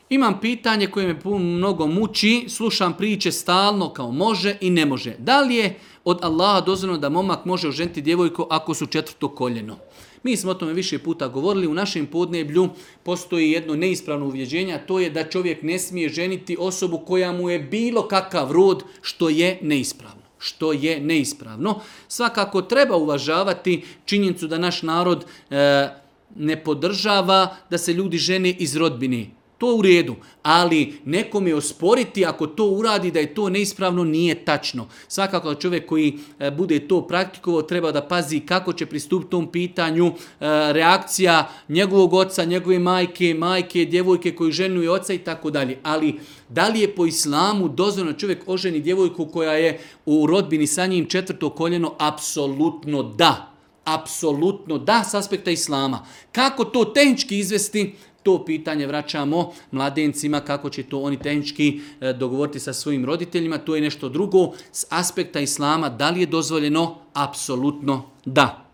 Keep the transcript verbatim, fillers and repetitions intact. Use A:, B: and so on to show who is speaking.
A: Imam pitanje koje me mnogo muči, slušam priče stalno kao može i ne može. Da li je od Allaha dozvoljeno da momak može oženiti djevojku ako su četvrto koljeno? Mi smo o tome više puta govorili, u našem podneblju postoji jedno neispravno uvjeđenje, a to je da čovjek ne smije ženiti osobu koja mu je bilo kakav rod, što je neispravno. Što je neispravno. Svakako treba uvažavati činjenicu da naš narod e, ne podržava da se ljudi žene iz rodbine. To u redu, ali nekom je osporiti ako to uradi da je to neispravno nije tačno. Svakako čovjek koji bude to praktikovao treba da pazi kako će pristupiti tom pitanju, reakcija njegovog oca, njegove majke, majke, djevojke koji ženuju oca i tako dalje. Ali da li je po islamu dozvoljeno čovjek oženi djevojku koja je u rodbini sa njim četvrto koljeno? Apsolutno da. Apsolutno da s aspekta islama. Kako to tehnički izvesti? To pitanje vraćamo mladencima, kako će to oni tehnički dogovoriti sa svojim roditeljima. To je nešto drugo. S aspekta islama, da li je dozvoljeno? Apsolutno da.